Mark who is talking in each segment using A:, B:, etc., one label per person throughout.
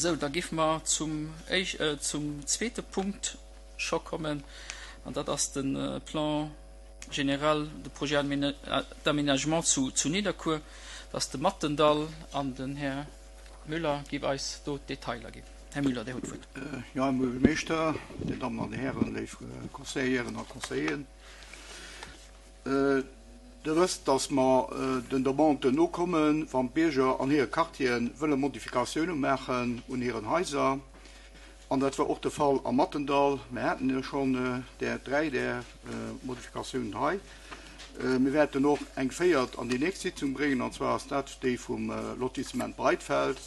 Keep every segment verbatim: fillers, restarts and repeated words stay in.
A: Sou, da géife mer zum, äh, zum zweete Punkt scho kommen, an dat ass de Plan général de projet d'aménagement zu, zu Nidderkuer. Dat ass de Mattendall an den Här Müller géif eis do d'Detailer ginn. Här Müller, Dir hutt d'Wuert.
B: Jo, Här Buergermeeschter, Dir Dammen an Dir Hären, léif Conseilleren a Conseilleren. Dir wësst, dass mer den Demanden nokommen, wann d'Bierger an hire Quartiere wëlle Modifikatioune maachen un hiren Haiser. An dat war och de Fall am Mattendall. Mir haten jo schonn där dräi där Modifikatiounen hei. Mir wäerten och eng véiert an déi nächst Sitzung bréngen, an zwar ass dat déi vum Lotissement Breitfeld,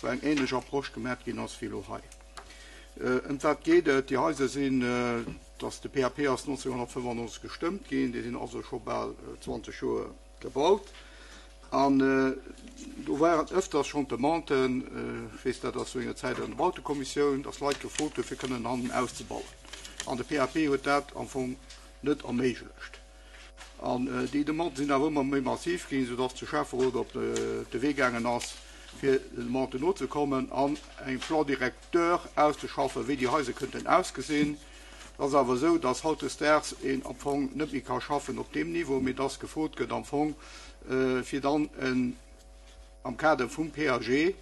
B: wou eng ähnlech Approche gemat ginn ass wéi elo hei. Ëm wat geet et? Déi Haiser sinn, dass de P A P ass nonzénhunnertfënnefannonzeg gestëmmt ginn, déi sinn also scho bal zwanzeg Joer gebaut. An do waren ëfters schonn d'Demanden, ech weess dat ass zu enger Zäit an der Bautekommissioun, dass Leit gefrot hunn, fir kënnen hannen auszebauen. An de P A P huet dat am Fong net erméiglecht. An déi Demanden sinn awer ëmmer méi massiv ginn, soudass de Schäfferot op de Wee gaangen ass, fir den Demanden nozekommen an eng Plan directeur auszeschaffen, wéi déi Haiser kënnten ausgesinn. Et ass awer esou, dass hautdesdaags een am Fong net méi ka schaffen op deem Niveau, mee dass gefrot gëtt am Fong, fir dann en, am Kader vum P A G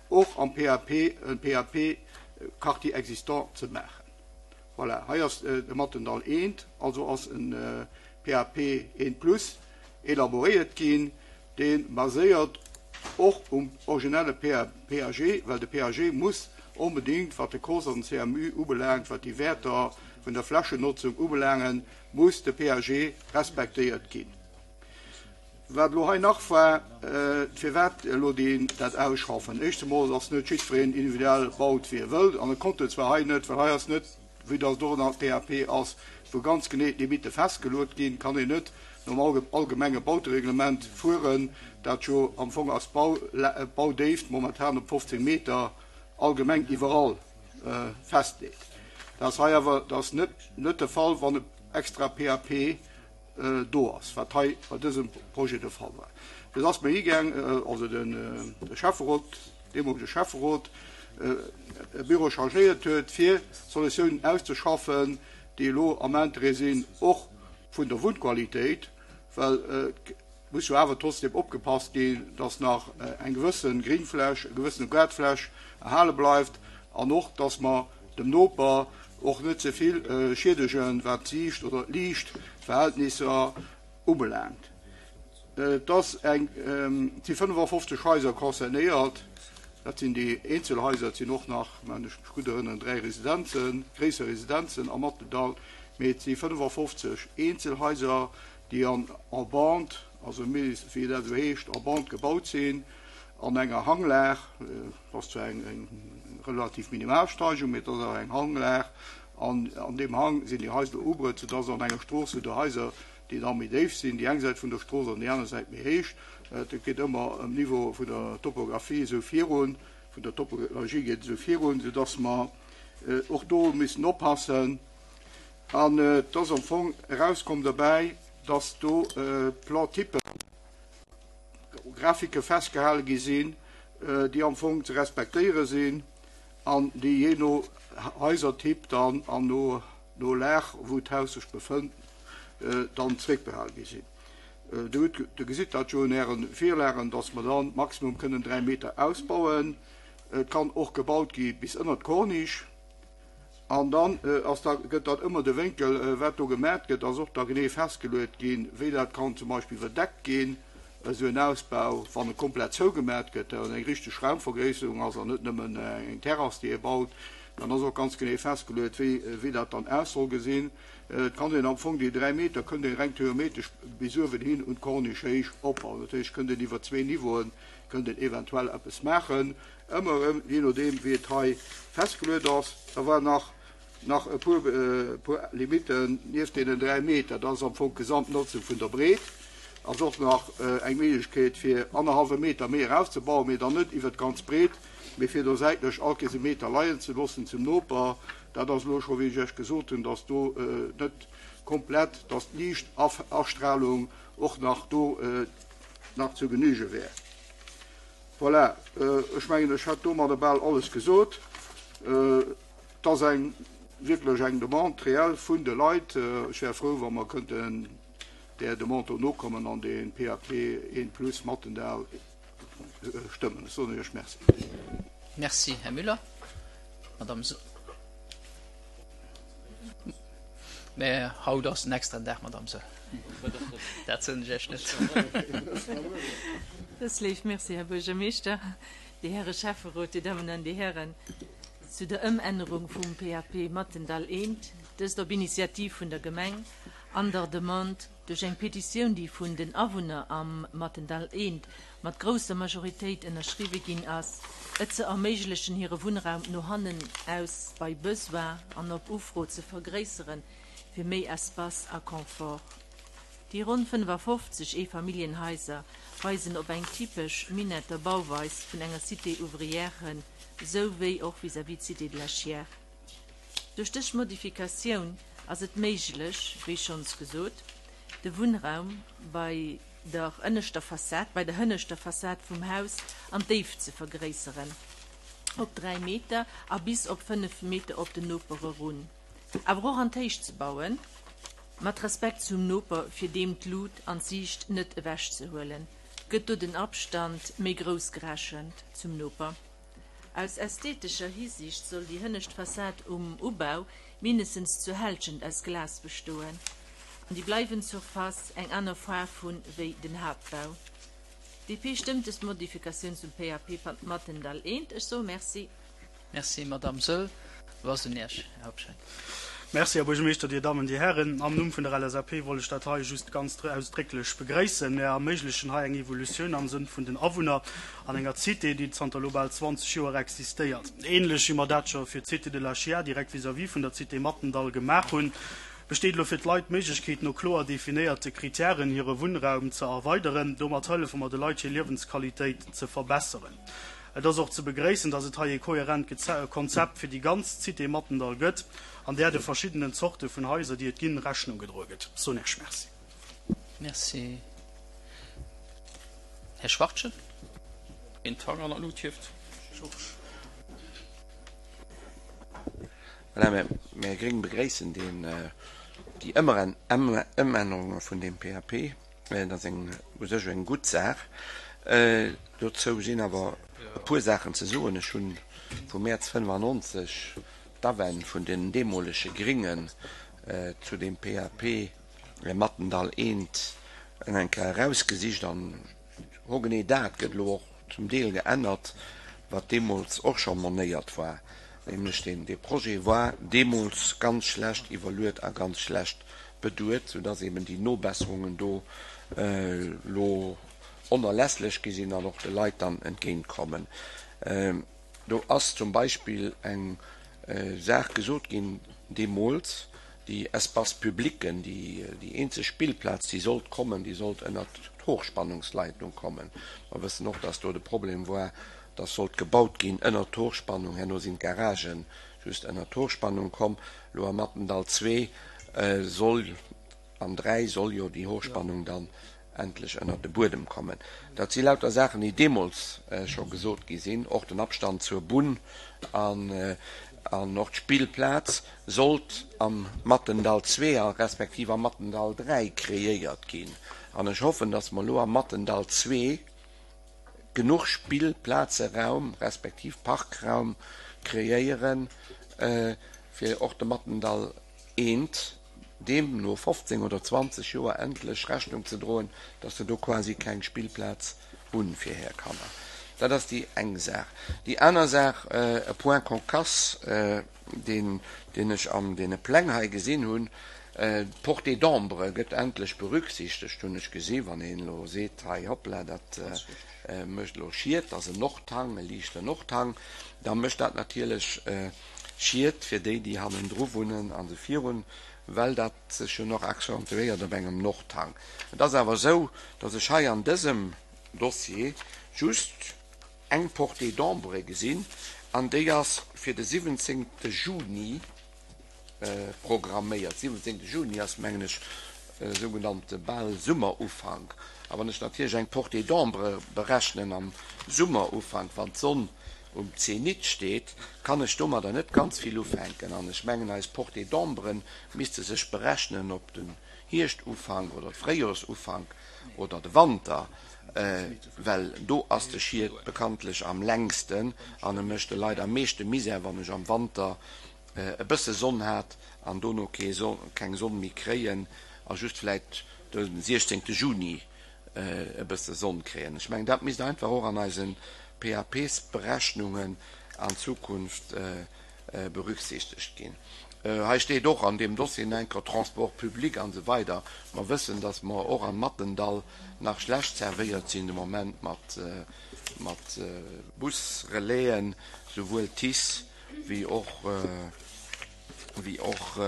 B: och am P A P en P A P Quartier existant ze maachen. Voilà, hei ass de Mattendall eent, also ass en P A P eent plus elaboréiert ginn, dee baséiert och um originelle P A G, well de P A G muss onbedéngt, wat de C O S an den C M U ubelaangt, wat déi Wäerter vun der Flächennotzung ubelaangen, muss de P A G respektéiert ginn. Wat elo hei nach war, firwat elo deen dat ausschaffen? Éischt emol ass net jiddwereen individuell baut, wéi e wëllt, an e konnt et zwar hei net, well hei ass net, wéi datt et och an der P A P ass, wou ganz genee d'Limitte festgeluet ginn, kann een net nom allgemenge Bautereglement fueren, dat jo am Fong ass Baudéift momentan op fofzéng Meter allgemeng iwwerall festleet. Dat ass hei awer dat ass net, net de Fall, wann e extra P A P do ass, wat hei bei dësem Projet de Fall war. Dat ass mir higaang, also den de Schäfferot, deemolege Schäfferot, e Büro chargéiert huet, fir Solutiounen auszeschaffen, déi elo am Interêt sinn, och vun der Wunnqualitéit, well et muss jo awer trotzdem opgepasst ginn, dass nach eng gewësse Gringfläch, e gewëssene Gaartfläch erhale bleift an och, dass mer dem Noper och net ze vill schiedegen, wat d'Siicht oder d'Liichtverhältnisser ubelaangt. Et ass eng, et si fënnefafofzeg Haiser concernéiert, dat sinn déi Eenzelhaiser, et sinn och nach, wann ech mech gutt erënneren, dräi Residenzen, gréisser Residenzen am Mattendall, mee et si fënnefafofzeg Eenzelhaiser, déi an en bande, also wéi dat esou heescht, en bande gebaut sinn, an enger Hanglag, dat ass zwar eng, eng relativ minimal Steigung, mee et ass awer eng Hanglag, an an deem Hang sinn déi Haiser ubruet, soudass an enger Strooss sinn do Haiser, déi da méi déif sinn, déi eng Säit vun der Strooss an déi aner Säit méi héich. Et geet ëmmer um Niveau vun der Topographie esou virun, vun der Topologie geet esou virun, soudass mer och do müssen oppassen. An et ass am Fong erauskomm dobäi, dass do Plan-Typen, Grafike festgehale gi sinn, déi am Fong ze respektéiere sinn an déi jee no Haisertyp dann an no, no Lag, wou d'Haus sech befënnt, dann zréckbehale gi sinn. Dir hutt, Dir gesitt dat jo un Ären Virlagen, dass mer dann maximum kënnen dräi Meter ausbauen. Et kann och gebaut gi bis ënnert d'Corniche. An dann ass da, gëtt dat ëmmer de Wénkel, wat do gemat gëtt, ass och da genee festgeluet ginn, wéi dat kann zum Beispill iwwerdeckt ginn, esou en Ausbau, wann e komplett zougemat gëtt, an eng richteg Raumvergréisserung ass an net nëmmen eng Terrass, déi ee baut, dann ass och ganz genee festgeluet, wéi, wéi dat dann aus soll gesinn. Et kann een am Fong déi dräi Meter kënnt een reng theoretesch bis uewen hin un d'Corniche héich opbauen. Dat heescht, kënnt een iwwer zwee Niveauen, kënnt een eventuell eppes maachen. Ëmmer erëm, jee nodeem wéi et hei festgeluet ass. Da war nach, nach e puer, e puer Limitten nieft deenen dräi Meter. Dat ass am Fong d'Gesamtnotzung vun der Breet. Ass och nach eng Méiglechkeet fir annerhallwe Meter méi erauszebauen, mee dann net iwwer d'ganz Breet, mee fir do säitlech all Kees e Meter leien ze loossen zum Noper. Dat ass elo scho, wéi ech Iech gesot hunn, dass do net komplett, dass d'Liichtastrahlung och nach do nach zu genüge wär. Voilà, ech mengen, ech hätt domadder bal alles gesot. Et ass eng wierklech eng Demande réelle vun de Leit. Ech wär frou, wa mer kënnten där Demande do nokommen an dee P A P eent plus Mattendall stëmmen. Ech soen Iech Merci.
A: Merci, Här Müller. Madame Soll. Mä haut ass en extraen Dag, Madame Soll. Dat soen ech Iech net.
C: Dat ass léif. Merci, Här Buergermeeschter, déi Häre Schäfferot, Dir Dammen an Dir Hären. Zu der Ëmännerung vum P A P Mattendall eent, dëst op Initiativ vun der Gemeng an der Demande duerch eng Petitioun, déi vun den Awunner am Mattendall eent mat grousser Majoritéit ënnerschriwwe ginn ass, et ze erméiglechen, hire Wunnraum no hannen aus bei Besoin an op Ufro ze vergréisseren, fir méi Espace a Confort. Déi ronn fënnefafofzeg Eefamilljenhaiser weisen op eng typesch Minetter Bauweis vun enger Cité ouvrière hin, sou wéi och vis-à-vis d'Cité de la Chiers. Duerch dës Modifikatioun ass et méiglech, wéi schonns gesot, de Wunnraum bei der ënneschter Fassad, bei der hënneschter Fassad vum Haus an d'Déift ze vergréisseren op dräi Meter a bis op fënnef Meter op den Noper erun, awer och an d'Héicht ze bauen, mat Respekt zum Noper, fir deem d'Lut an d'Siicht net ewechzehuelen, gëtt do den Abstand méi grouss gerechent zum Noper. Aus ästhetescher Hisiicht soll déi hënnescht Fassad um Ubau mindestens zur Hälschent aus Glas bestoen an déi bleiwend Surface eng aner Faarf hunn wéi den Haaptbau. D P stëmmt des Modifikatioun zum P A P Mattendall eent. Ech soe Merci.
A: Merci, Madame Soll. Lo ass un Iech, Här Hobscheit.
D: Merci, Här Buergermeeschter, Dir Dammen, Dir Hären. Am Numm vun der L S A P wollt ech dat hei just ganz ausdrécklech begréissen. Mir erméiglechen hei eng Evolutioun am Sënn vun den Awunner an enger Cité, déi zanter elo bal zwanzeg Joer existéiert. Ähnlech wéi mer dat scho fir d'Cité de la Chiers direkt vis-à-vis vun der Cité Mattendall gemaach hunn, besteet elo fir d'Leit d'Méiglechkeet, no kloer definéierte Kritären hire Wunnraum ze erweideren. Domat hëllefe mer de Leit, hir Liewensqualitéit ze verbesseren. Et ass och ze begréissen, dass et hei e kohärent Konzept fir déi ganz Cité Mattendall gëtt, an där de verschiddenen Zorte vun Haiser, déi et ginn, Rechnung gedroe gëtt. Soen Iech Merci.
A: Merci. Här Schwachtgen. Een Tang an der Lut hieft.
B: Georges.
E: Voilà, mir, mir Gréng begréissen deen, déi Ëmännerunge vun deem P A P. Dat ass eng u sech eng gutt Saach. Dozou sinn awer e puer Saachen ze soen. Ech hunn vum Mäerz fënnefannonzeg d'Awänn vun den deemolege Gringen zu deem P A P Mattendall eent eng Kéier erausgesicht an hogenee dat gëtt elo och zum Deel geännert, wat deemools och scho monéiert war, nämlech deen dee Projet war deemools ganz schlecht iwwerluet a ganz schlecht beduet, soudass eben déi Nobesserungen do elo onerlässlech gi sinn an och de Leit dann entgéintkommen. Do ass zum Beispill eng Saach gesot ginn deemools, déi Espace publicen, déi déi eenzeg Spillplaz, déi sollt kommen, déi sollt ënnert d'Hochspannungsleitung kommen. Mer wëssen och, dass do de Problem war, dass sollt gebaut ginn ënnert d'Hochspannung, herno sinn d'Garagen just ënnert d'Hochspannung komm. Elo am Mattendall zwee soll an dräi soll jo déi Hochspannung dann endlech ënnert de Buedem kommen. Dat si lauter Saachen, déi deemools scho gesot gi sinn. Och den Abstand zur Bunn an an och d'Spillplaz sollt am Mattendall zwee a respektiv am Mattendall dräi kreéiert ginn. An ech hoffen, dass mer elo am Mattendall zwee genuch Spillplazeraum respektiv Parkraum kreéieren, fir och de Mattendall eent deem no fofzéng oder zwanzeg Joer endlech Rechnung ze droen, dass se do quasi keng Spillplaz hunn fir hir Kanner. Dat ass déi eng Saach. Déi aner Saach, e Point cocasse, deen deen ech an deene Pläng hei gesinn hunn, d'Portée d'ombre gëtt endlech berücksichtegt, hunn ech gesi. Wann een elo seet, hei hoppla, dat mécht elo Schied, dat ass en Nordhang, e liichten Nordhang, da mécht dat natierlech Schied fir déi, déi hannendru wunnen a se virun, well dat sech jo nach accentuéiert op engem Nordhang. Et ass awer esou, dass ech hei an dësem Dossier just eng Portée d'ombre gesinn, an déi ass fir de siwwenzéngte Juni programméiert. Siwwenzéngte Juni ass, mengen ech, sougenannte bal Summerufank. A wann ech natierlech eng Portée d'ombre berechnen am Summerufank, wann d'Sonn um Zenit steet, kann ech domadder net ganz vill ufänken. An ech mengen, eis Portée d'ombre misste sech berechnen op den Hierschtufank oder Fréijoersufank oder de Wanter, well do ass de Schied bekanntlech am längsten an e mécht de Leit am meeschte Misär, wann ech am Wanter e bësse Sonn hat an dono keng Sonn méi kréien a just vläit de siechzéngte Juni e bësse Sonn kréien. Ech mengen, dat misst einfach och an eise P A Ps-Berechnungen an Zukunft berücksichtegt ginn. Hei steet och an deem Dossier enker Transport public an esou weider. Mer wëssen, dass mer och am Mattendall nach schlecht servéiert sinn de Moment mat mat Busrelaisen, souwuel T I C E wéi och wéi och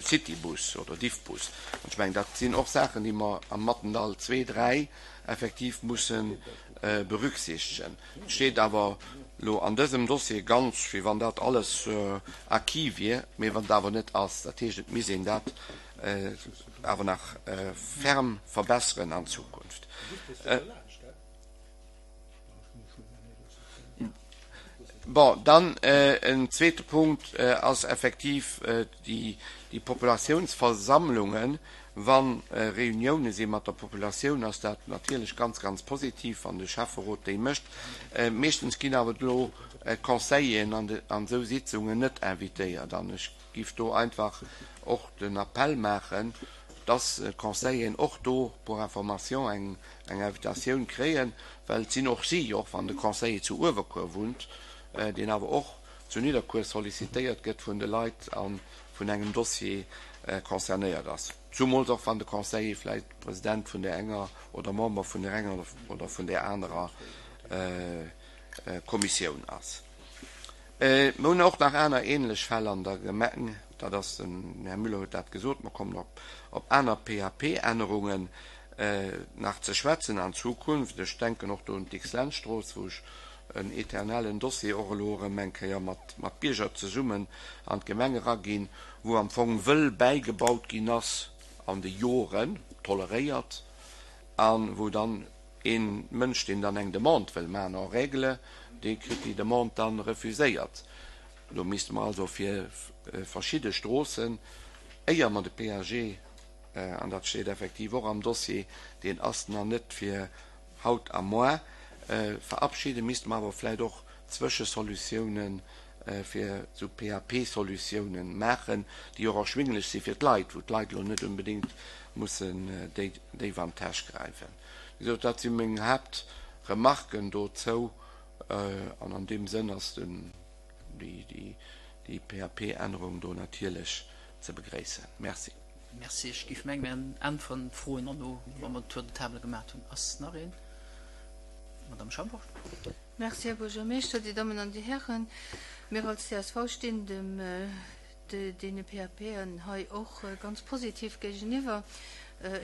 E: Citybus oder Diffbus. An ech mengen, dat sinn och Saachen, déi mer am Mattendall zwee, dräi effektiv musse berücksichtegen. Et steet awer elo an dësem Dossier ganz, wéi wann dat alles acquis wier, mee wann et awer net ass. Dat heescht, et misst een dat awer nach ferm verbesseren an Zukunft. Bon, dann en zweete Punkt ass effektiv déi Populatiounsversammlungen. Wa Reunioune si mat der Populatioun, ass dat natierlech ganz, ganz positiv, wann de Schäfferot déi mécht. Meeschtens ginn awer elo d'Conseilleren an esou Sitzungen net invitéiert. An ech géif do einfach och den Appell maachen, dass d'Conseilleren och do pour information eng Invitatioun kréien, well et sinn och si, och wann de Conseiller zu Uewerkuer wunnt, deen awer och zu Nidderkuer sollicitéiert gëtt vun de Leit a vun engem Dossier concernéiert ass, zumools och wann de Conseiller vläicht President vun där enger oder Member vun där enger oder vun där anerer Kommissioun ass. Mir hunn och nach aner ähnlech Fäll an der Gemeng, dat ass, den Här Müller huet dat gesot, mer kommen op op aner P A P-Ännerungen nach ze schwätzen an Zukunft. Ech denken och do un d'Dicks-Lentz-Strooss, wou ech en eternellen Dossier och elo erëm eng Kéier mat mat Bierger zesummen an d'Gemeng eraginn, wou am Fong wëll bäigebaut ginn ass an de Joren, toleréiert, a wou dann ee Mënsch, deen dann eng Demande wëll maachen, en règle, dee kritt déi Demande dann refuséiert. Do misste mer also fir verschidde Stroossen, éier mer de P A G, an dat steet effektiv och am Dossier, deen ass nach net fir haut a moar, verabschieden, misste mer awer vläicht och Zwëschesolutiounen fir esou P A P-Solutiounen maachen, déi och erschwinglech si fir d'Leit, wou d'Leit elo net unbedéngt mussen déif an d'Täsch gräifen. Wéi gesot, dat si meng Haaptremarken dozou, an an deem Sënn ass déi P A P-Ännerung do natierlech ze begréissen. Merci.
A: Merci. Ech géif mengen, mir äntweren d'Froen herno, wa mer den Tour de table gemaat hunn. Ass nach een? Madame Schambourg.
F: Merci, Här Buergermeeschter, Dir Dammen an Dir Hären. Mir als C S V stinn dem deene P A P-en hei och ganz positiv géigeniwwer.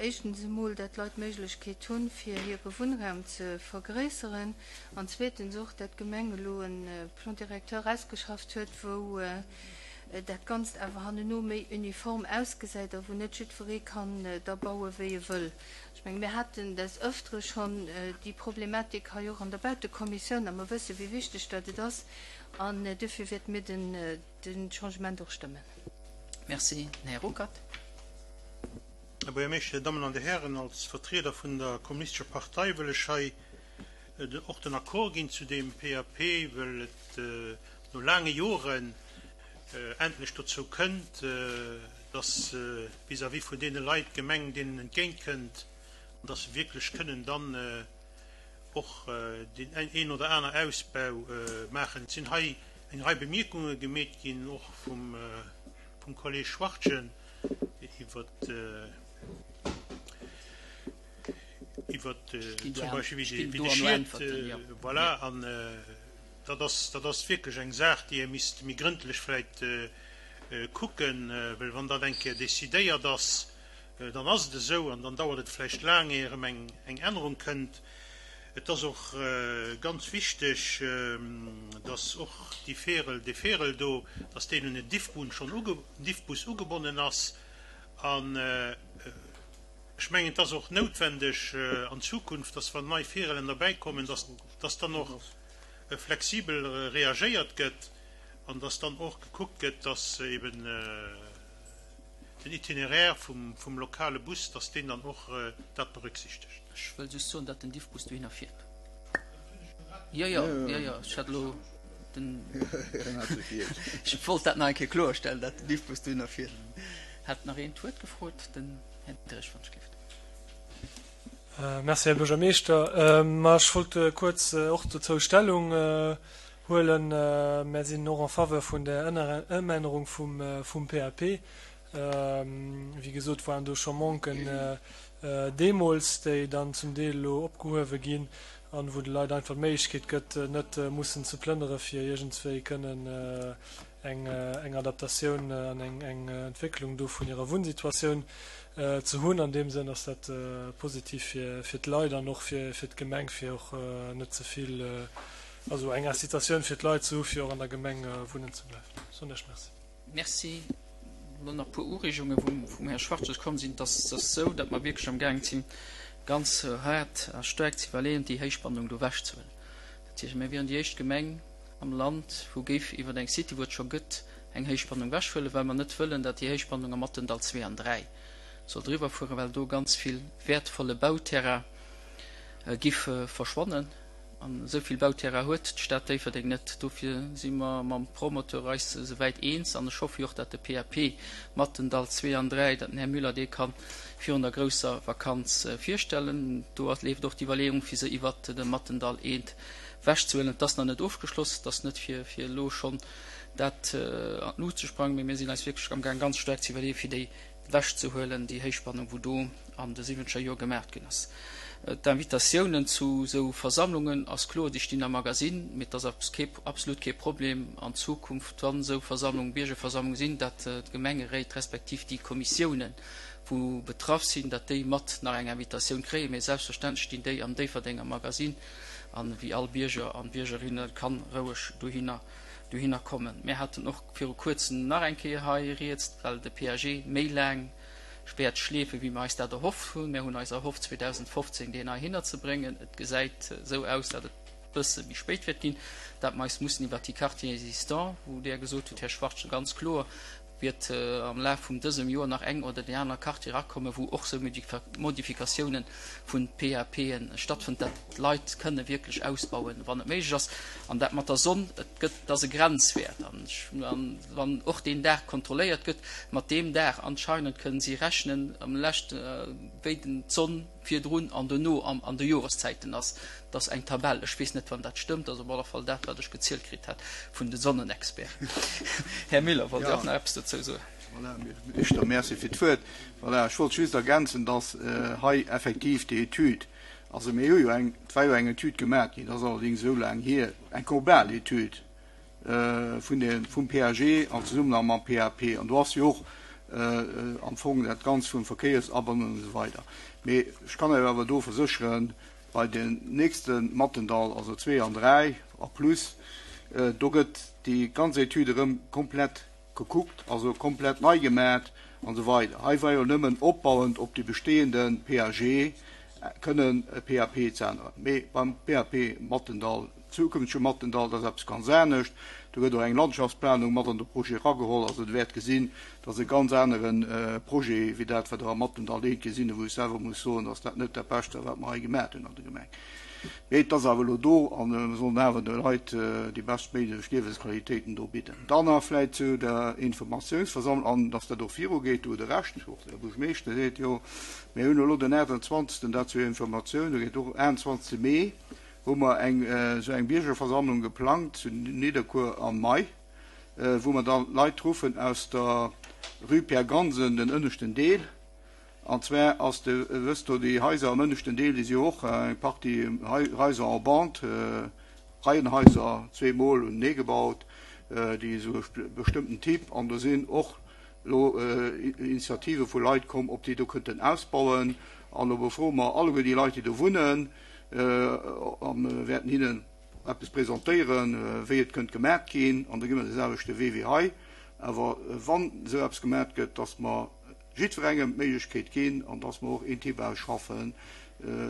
F: Éischtens emol, dat d'Leit d'Méiglechkeet hunn, fir hire Wunnraum ze vergréisseren, an zweetens och, dat d'Gemeng elo e Plan directeur ausgeschafft huet, wou dat Ganzt awer hanneno méi uniform ausgesäit a wou net jiddweree kann da baue wéi e wëll. Ech menge mir haten des Ëftere schonn déi Problematik hei och an der Bautekommissioun a mer wësse wéi wichteg dat et ass an dofir wäerte mir den Changement och stëmmen.
A: Merci. Här Ruckert.
G: Här Buergermeeschter, Dir Dammen an Dir Hären, als Vertrieder vun der Kommunistescher Partei wëll ech hei och den Accord ginn zu deem P A P, well et no laange Joren endlech dozou kënnt, dass vis-à-vis vun deene Leit d'Gemeng deenen entgéintkënnt an dass se wierklech kënnen dann och deen een oder aner Ausbau maachen. Et sinn hei eng Rei Bemierkunge gemeet ginn, och vum Kolleg Schwachtgen, iwwert iwwert zum Beispill wéi de Schied, voilà, an dat ass, dat ass wierklech eng Saach, déi ee misst méi grëndlech vläicht kucken, well wann dat eng Kéier decidéiert ass, dann ass et esou an dann dauert et vläicht laang, éier erëm eng eng Ännerung kënnt. Et ass och ganz wichteg, dass och déi Färel, dee Färel do, dass deen un den Diffbus schonn uge, Diffbus ugebonnen ass an Ech mengen, et ass och noutwendeg an Zukunft, dass wann nei Virellen derbäikommen, dass, dass dann och flexibel reagéiert gëtt an dass dann och gekuckt gëtt, dass eben den Itinéraire vum, vum lokale Bus, dass deen dann och dat berücksichtegt.
A: Ech wëll just soen, datt den Diffbus dohinner fiert. Jo, jo, jo, jo, ech hat elo den, ech wollt dat nach eng Kéier kloerstellen, datt den Diffbus dohinner fiert. Hat nach een d'Wuert gefrot? Den Här Diderich, wann ech gelift.
H: Merci, Här Buergermeeschter. Ma ech wollt kuerz och dozou Stellung huelen. Mär sinn och en faveur vun der Ëmännerung vum P A P. Wéi gesot, waren do scho Manquen deemools, déi dann zum Deel elo opgehuewe ginn an wou de Leit einfach d'Méiglechkeet gëtt, net mussen ze plënnere fir iergendswéi kënnen eng eng Adaptatioun an eng eng Entwécklung do vun hirer Wunnsituatioun ze hunn. An deem Sënn ass dat positiv fir fir d'Leit an och fir fir d'Gemeng, fir och net ze vill, also eng Incitatioun fir d'Leit ze hu fir och an der Gemeng wunnen ze bleiwen. Soen ech Merci.
A: Merci. Elo nach e puer Ureegunge wou vum Här Schwachtges komm sinn. Et ass esou, datt mer wierklech am gaang sinn, ganz haart a staark ze iwwerleeën, déi Héichspannung do ewechzehuelen. Dat heescht, mir wieren déi éischt Gemeng am Land, wou géif iwwer eng Cité, wou et scho gëtt, eng Héichspannung ewechhuelen, well mer net wëllen, datt déi Héichspannung am Mattendall zwee an dräi soll driwwer fueren, well do ganz vill wäertvolle Bauterrain giff verschwannen. An esou vill Bauterrain huet d'Stad Déifferdeng net. Dofir si mer mam Promoteur eis esouwäit eens. An ech hoffe jo och, datt de P A P Mattendall zwee an dräi, datt den Här Müller dee ka virun der grousser Vakanz virstellen. Do leeft och d'Iwwerleeung, fir se iwwert de Mattendall eent wechzehuelen. Et ass nach net ofgeschloss, et ass net fir elo schonn dat an d'Lut ze sprangen, mee mir sinn eis wierklech amgaang ganz staark ze iwwerleeën, fir déi wechzehuelen, déi Héichspannung, wou do an de siwwenzeger Joer gemaacht ginn ass. D'Invitatiounen zu esou Versammlungen ass kloer, déi stinn am Magasinn, mee et ass absolut kee Problem an Zukunft, wann esou Versammlungen, Biergerversammlungen sinn, datt d'Gemengeréit respektiv déi Kommissiounen, wou betraff sinn, datt déi mat nach eng Invitatioun kréien. Mee selbstverständlech stinn déi am Déifferdenger Magasinn an wéi all Bierger an Biergerinne kann roueg dohinner dohinner kommen. Mir haten och viru kuerzem nach eng Kéier hei rieds, well de P A G méi laang wäert schleefen, wéi mir eis dat erhofft hunn. Mir hunn eis erhofft, zweedausendfofzéng deen heihinner ze bréngen. Et gesäit esou aus, datt et e bësse méi spéit wäert ginn, datt mer eis mussen iwwert déi Quartiers existants, wou Der gesot hutt, Här Schwachtgen, ganz kloer wäert am Laf vum dësem Joer nach eng oder déi aner Quartier erakommen, wou och esou Modifikatiounen vun P A P'en stattfënnt, datt d'Leit kënne wierklech ausbauen, wann et méiglech ass. An dat mat der Sonn, et gëtt, et ass e Grenzwäert. An wann och deen Dag kontrolléiert gëtt, mat deem Dag anscheinend kënnen si rechnen, am leschte wéi den d'Sonn virdrun an dono an de Joreszäiten ass. Dat ass eng Tabell, ech weess net, wann dat stëmmt, ass op alle Fall dat, wat ech gezielt kritt hat vun de Sonnenexperten. Här Miller, wollt Dir och nach eppes dozou soen?
B: Voilà, Minister, merci fir d'Wuert. Voilà, ech wollt just ergänzen, dass hei effektiv déi Etüd, also mir hu jo eng, et war jo eng Etüd gemaach ginn, dat ass allerdéngs esou laang hier, eng global Etüd vun de, vum P A G an Zesummenhang mam P A P. An do ass jo och am Fong dat Ganzt vum Verkéiersabannung an esou weider. Mee ech kann Iech awer do versécheren, bei den nächste Mattendall, also zwee an dräi a plus, do gëtt déi ganz Etüd erëm komplett gekuckt, also komplett nei gemaat an esou weider. Hei war jo nëmmen opbauend op déi bestehende P A G kënnen e P A P ze änneren. Mee beim P A P Mattendall, zukünftege Mattendall, dat ass eppes ganz anescht. Do gëtt och eng Landschaftsplanung mat an de Projet erageholl. Also Der wäert gesinn, dat ass e ganz anere Projet wéi dat, wat Der am Mattendall eent gesinn hutt, wou ech selwer muss soen, dass dat net dat Bescht war, wat mer hei gemaat hunn an der Gemeng. Mee et ass awer elo do an mir sollen awer de Leit déi beschtméiglech Liewensqualitéiten do bidden. Dann nach vläicht zu der Informatiounsversammlung an dass dat och virugeet, do hutt Der Recht, och de Här Buergermeeschter seet jo, mir hunn elo den aachtundzwanzegsten dat zur Informatioun, do geet och aachtundzwanzegste Mee hu mer eng esou eng Biergerversammlung geplangt zu Nidderkuer am Mai, wou mer dann d'Leit ruffen aus der Rue Pierre Gansen, den ënneschten Deel. An zwar ass de, wësst do, déi Haiser am ënneschten Deel, déi si jo och eng Partie Haiser en bande, Reihenhaiser, zweemol unenee gebaut, déi esou e bestëmmten Typ. An do sinn och elo Initiative vu Leit komm, ob déi do kënnten ausbauen. An do befroe mer alleguer déi Leit, déi do wunnen, a wäerten hinnen eppes presentéieren, wéi et kënnt gemat ginn. An da gi mer de selwechte Wee wéi hei. Awer wann esou eppes gemat gëtt, dass mer jiddwerengem d'Méiglechkeet ginn an dass mer och een Typage schaffen,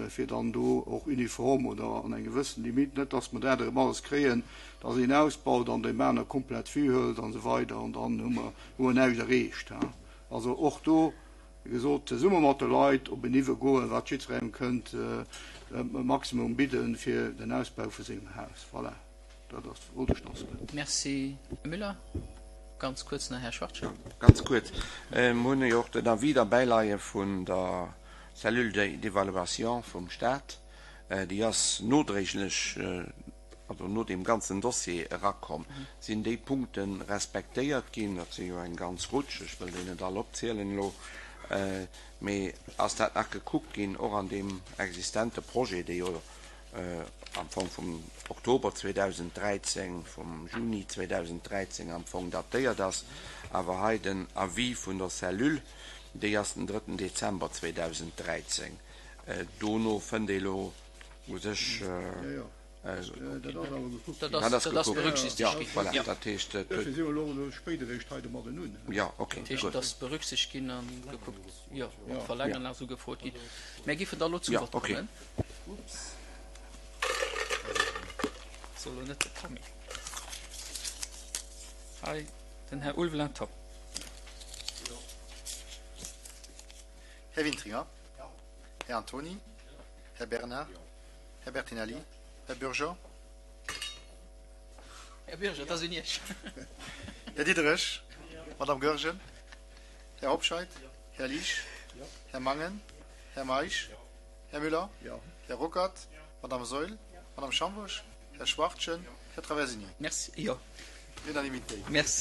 B: fir dann do och uniform oder an eng gewëssen Limite, net dass mer dat erëm alles kréien, dass een ausbaut an deem aner komplett d'Vue hëlt an esou weider an dann hu mer hu mer näischt erreecht. Also och do, wéi gesot, zesumme mat de Leit op en Niveau goen, wat jiddwerengem kënnt e Maximum bidden fir den Ausbau vu sengem Haus. Voilà, dat ass, wollt ech nach soen.
A: Merci, Här Müller. Ganz kuerz nach Här Schwachtgen.
E: Ganz kuerz. Mir hunn jo och den Avis derbäileie vun der Cellule d'évaluation vum Stat. Déi ass nodréiglech, also no deem ganzen Dossier erakomm. Sinn déi Punkte respektéiert ginn? Dat si jo eng ganz Rutsch, ech wëll déi net all opzielen elo. Mee ass dat nach gekuckt ginn, och an deem existente Projet, dee jo am Fong vum Oktober zweedausenddräizéng, vum Juni zweedausenddräizéng am Fong datéiert ass, awer hei den Avis vun der Cellule, déi ass den drëtten Dezember zweedausenddräizéng. Dono fënnt ee lo u sech.
A: Dat ass berücksichtegt ginn.
E: Voilà, dat heescht, et huet.
B: Duerfir si mer elo spéit eréischt hei domadden un.
E: Jo, okay,
A: Dat heescht,
E: gutt.
A: et ass berücksichtegt ginn a gekuckt, jo, mat verlängeren ass ugefrot ginn. Mär géifen da elo zum
E: Jo,
A: Vott
E: okay.
A: kommen. Ups. Soll elo net de Tammy. Hei, den Här Ulveling Tom.
I: Här Wintringer. Här Antony. Här Bernard. Här Bertinelli. Här Bürger.
A: Här Bürger, et ass un Iech.
I: Här Diderich. Madame Goergen. Här Hobscheit. Här Liesch. Här Mangen. Här Meisch. Här Müller. Här Ruckert. Madame Saeul. Madame Schambusch. Här Schwachtgen. Här Traversini.
A: Merci. Jo.
I: Unanimité.
A: Merci.